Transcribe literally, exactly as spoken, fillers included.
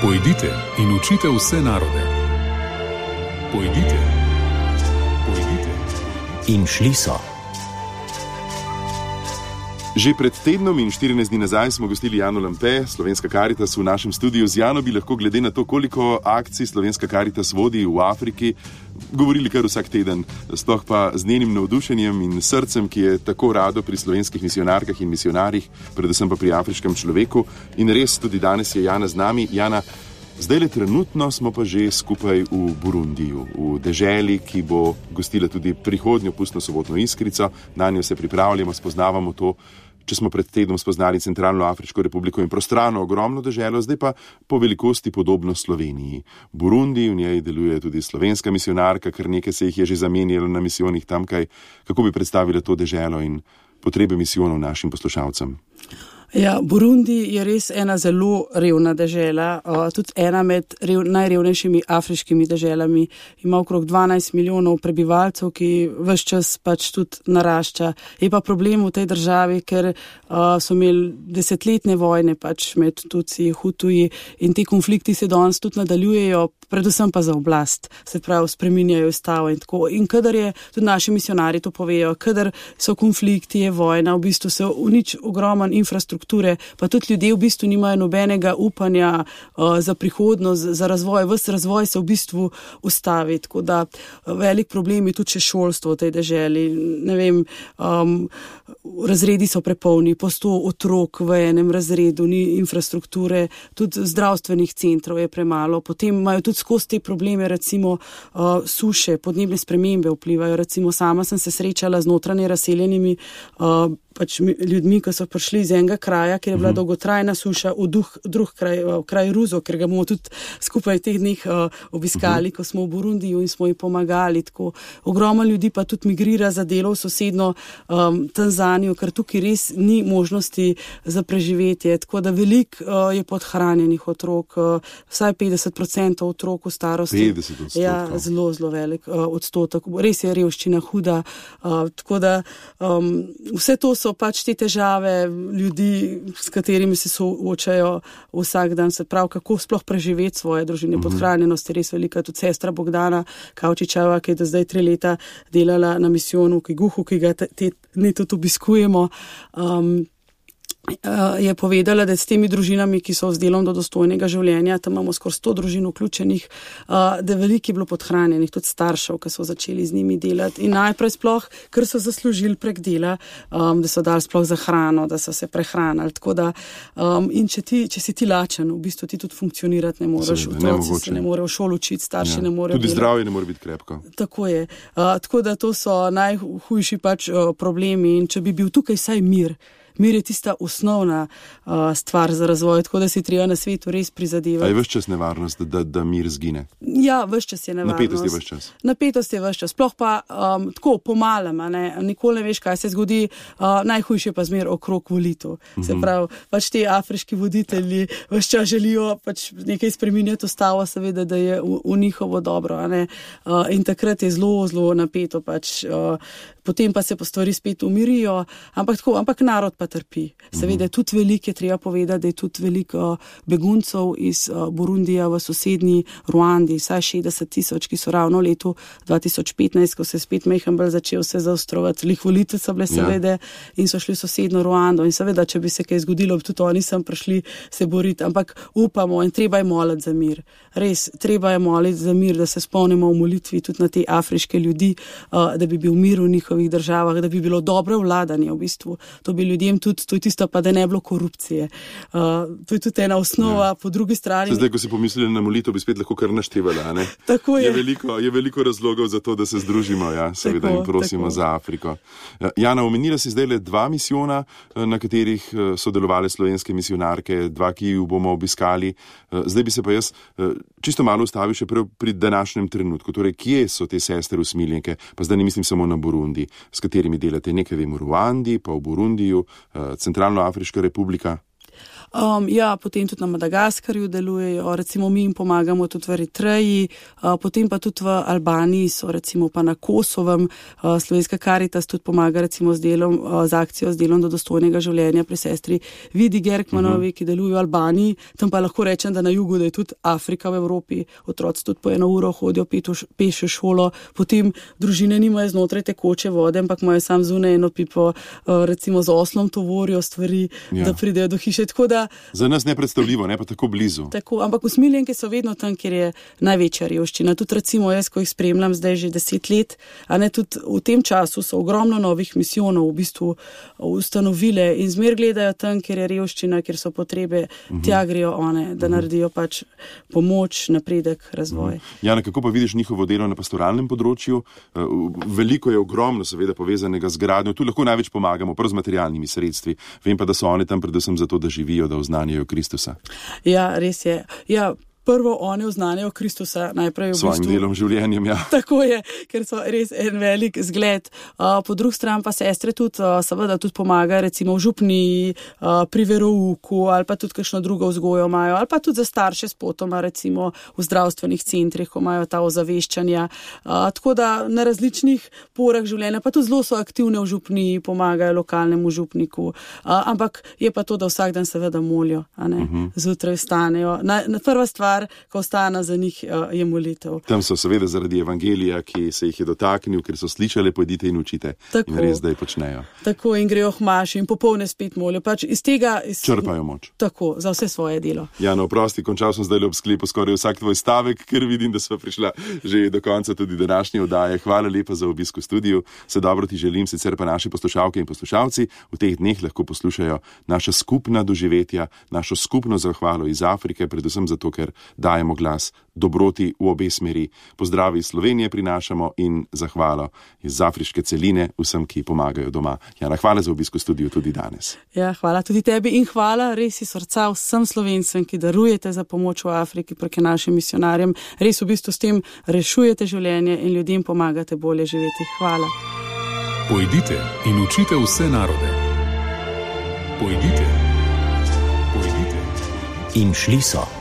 Pojdite in učite vse narode. Pojdite, pojdite. In šli so. Že pred tednom in štirinajst dni nazaj smo gostili Jano Lampe, Slovenska Karitas v našem studiu. Z Jano bi lahko glede na to, koliko akcij Slovenska Karitas vodi v Afriki, govorili kar vsak teden. Sploh pa z njenim navdušenjem in srcem, ki je tako rado pri slovenskih misionarkah in misionarjih, predvsem pa pri afriškem človeku. In res tudi danes je Jana z nami. Jana, zdaj le trenutno smo pa že skupaj v Burundiju, v deželi, ki bo gostila tudi prihodnjo pustno sobotno iskrico. Na njo se pripravljamo, spoznavamo to. Če smo pred tednom spoznali Centralno Afriško republiko in prostrano, ogromno deželo, zdaj pa po velikosti podobno Sloveniji. Burundi, v njej deluje tudi slovenska misionarka, kar nekaj se jih je že zamenjalo na misijonih tamkaj. Kako bi predstavila to deželo in potrebe misijonov našim poslušalcem? Ja, Burundi je res ena zelo revna dežela, uh, tudi ena med rev, najrevnejšimi afriškimi deželami. Ima okrog dvanajst milijonov prebivalcev, ki ves čas pač tudi narašča. Je pa problem v tej državi, ker uh, so imeli desetletne vojne pač med Tutsi, Hutuji in ti konflikti se danes tudi nadaljujejo, predvsem pa za oblast, se pravi spreminjajo ustavo in tako. In kadar je, tudi naši misionari to povejo, kadar so konflikti, je vojna, v bistvu se unič ogromen infrastruktur, pa tudi ljudje v bistvu nimajo nobenega upanja uh, za prihodnost, za razvoj. Ves razvoj se v bistvu ustavi, tako da velik problem je tudi še šolstvo v tej deželi. Ne vem, um, razredi so prepolni, po sto otrok v enem razredu, ni infrastrukture, tudi zdravstvenih centrov je premalo. Potem imajo tudi skozi te probleme, recimo uh, suše, podnebne spremembe vplivajo. Recimo sama sem se srečala z notranje razseljenimi uh, pač ljudmi, ki so prišli iz enega kraja, kjer je bila dolgotrajna suša, v duh, drug kraj, v kraj Ruzo, ker ga bomo tudi skupaj teh dneh uh, obiskali, ko smo v Burundiju in smo jim pomagali. Tako ogromno ljudi pa tudi migrira za delo v sosedno um, Tanzanijo, ker tukaj res ni možnosti za preživetje. Tako da veliko uh, je podhranjenih otrok, uh, vsaj petdeset procentov otrok v starosti. petdeset odstotkov. Ja, zelo, zelo velik uh, odstotek. Res je revščina huda. Uh, tako da um, vse to so pač te težave ljudi, s katerimi se soočajo vsak dan, se pravi, kako sploh preživeti svoje družine. Mm-hmm. Podhranjenost je res velika. Tudi sestra Bogdana Kavčičeva, ki je do zdaj tri leta delala na misijonu v Kiguhu, ki ga te, te dni tudi obiskujemo, um, je povedala, da s temi družinami, ki so z delom do dostojnega življenja, tam imamo skoraj sto družin vključenih, da veliko je bilo podhranjenih, tudi staršev, ki so začeli z njimi delati. In najprej sploh, ker so zaslužili prek dela, um, da so dali sploh za hrano, da so se prehranili. Tako da, um, in če, ti, če si ti lačen, v bistvu ti tudi funkcionirati ne moreš, otroci se ne morejo v šolo učiti, starši ja. ne morejo. Tudi zdravje ne more biti krepko. Tako je. Uh, tako da to so najhujši pač uh, problemi in če bi bil tukaj vsaj mir, Mir je tista osnovna uh, stvar za razvoj, tako da si treba na svetu res prizadevati. A je ves čas nevarnost, da, da mir zgine? Ja, ves čas je nevarnost. Napetost je ves čas. Napetost je ves čas. Sploh pa um, tako pomalem, ne? Nikoli ne veš, kaj se zgodi. Uh, najhujše pa zmer okrog volitev. Mm-hmm. Se pravi, pač ti afriški voditelji ves čas želijo pač nekaj spreminjati ustavo, seveda, da je v, v njihovo dobro. Ne? Uh, in takrat je zelo, zelo napeto. Pač, uh, potem pa se pa stvari spet umirijo. Ampak, tako, ampak narod pa trpi. Seveda je tudi veliko, je treba povedati, da je tudi veliko beguncev iz Burundija v sosednji Ruandi, vsaj šestdeset tisoč, ki so ravno v letu dva tisoč petnajst, ko se je spet Mejhambel začel se zaostrovati. Lih volitve so bile seveda ja. in so šli v sosedno Ruando in seveda, če bi se kaj zgodilo, tudi oni sem prišli se boriti, ampak upamo in treba je moliti za mir. Res, treba je moliti za mir, da se spomnimo v molitvi tudi na te afriške ljudi, da bi bil mir v njihovih državah, da bi bilo dobro vladanje v bistvu. To bi ljudem tudi, to je tisto pa, da ne bilo korupcije. Uh, to je tudi ena osnova, ja. po drugi strani. Zdaj, ko si pomislili na molitev, bi spet lahko kar naštevala, ne? Tako je. Je veliko, je veliko razlogov za to, da se združimo, ja, seveda tako, in prosimo tako. Za Afriko. Jana, omenila si zdaj le dva misijona, na katerih so delovale slovenske misionarke, dva, ki ju bomo obiskali. Zdaj bi se pa jaz čisto malo ustavil še pri današnjem trenutku. Torej, kje so te sestre usmiljenke? Pa zdaj ne mislim samo na Burundi, s katerimi delate. Nekaj vem v Ruandi, pa v Burundiju, Centralnoafriška republika. Um, ja, potem tudi na Madagaskarju delujejo, recimo mi jim pomagamo tudi v Eritreji, uh, potem pa tudi v Albaniji so, recimo pa na Kosovem, uh, Slovenska Karitas tudi pomaga recimo z delom, uh, z akcijo z delom do dostojnega življenja pri sestri Vidi Gerkmanovi, uh -huh. ki deluje v Albaniji. Tam pa lahko rečem, da na jugu, da je tudi Afrika v Evropi, otroci tudi po eno uro hodijo peš v šolo, potem družine nimajo znotraj tekoče vode, ampak imajo sam zunaj eno pipo, uh, recimo z oslom tovorijo stvari, ja. da pridejo do hiše. Tako da, za nas nepredstavljivo, ne pa tako blizu. Tako, ampak usmiljenke so vedno tam, kjer je največja revščina. Tudi recimo jaz, ko jih spremljam zdaj že deset let, a ne tudi v tem času so ogromno novih misijonov v bistvu ustanovile in zmer gledajo tam, kjer je revščina, kjer so potrebe, uh-huh. tja grejo one, da uh-huh. naredijo pač pomoč, napredek, razvoj. Uh-huh. Jana, kako pa vidiš njihovo delo na pastoralnem področju? Veliko je ogromno seveda povezanega z gradnjo, tu lahko največ pomagamo, prvo z materialnimi sredstvi. Vem pa, da so oni tam predvsem zato, da živijo, da oznanjajo Kristusa. Ja, res je. Ja, prvo oni oznanjajo Kristusa najprej v bistvu. Svojim delom, življenjem, ja. Tako je, ker so res en velik zgled. Uh, po drugi strani pa sestre tudi, uh, seveda tudi pomaga recimo v župniji, uh, pri verouku ali pa tudi kakšno drugo vzgojo imajo, ali pa tudi za starše spotoma recimo v zdravstvenih centrih, ko imajo ta ozaveščanja. Uh, tako da na različnih porah življenja, pa tudi zelo so aktivne v župniji, pomagajo lokalnemu župniku. Uh, ampak je pa to, da vsak dan seveda molijo, a ne, uh-huh. zjutraj vstanejo. Na, na prva stvar, ko ostane za njih, je molitev. Tam so seveda zaradi evangelija, ki se jih je dotaknil, ker so slišali, pojdite in učite. Tako, in res, da je počnejo. Tako, in grejo k maši in popolne spet molijo. Pač iz tega iz, črpajo moč. Tako, za vse svoje delo. Jano, oprosti, končal sem zdaj ob sklepu skoraj vsak tvoj stavek, ker vidim, da sva prišla že do konca tudi današnje oddaje. Hvala lepa za obisk v studiu. Se dobro ti želim, sicer pa naši poslušalke in poslušalci v teh dneh lahko poslušajo naša skupna doživetja, našo skupno zahvalo iz Afrike, predvsem zato, ker dajemo glas dobroti v obe smeri. Pozdravi iz Slovenije prinašamo in zahvalo iz afriške celine vsem, ki pomagajo doma. Jana, hvala za obisk v studiu tudi danes. Ja, hvala tudi tebi in hvala res iz srca vsem Slovencem, ki darujete za pomoč v Afriki proti našim misionarjem. Res v bistvu s tem rešujete življenje in ljudem pomagate bolje živeti. Hvala. Pojdite in učite vse narode. Pojdite. Pojdite. In šli so.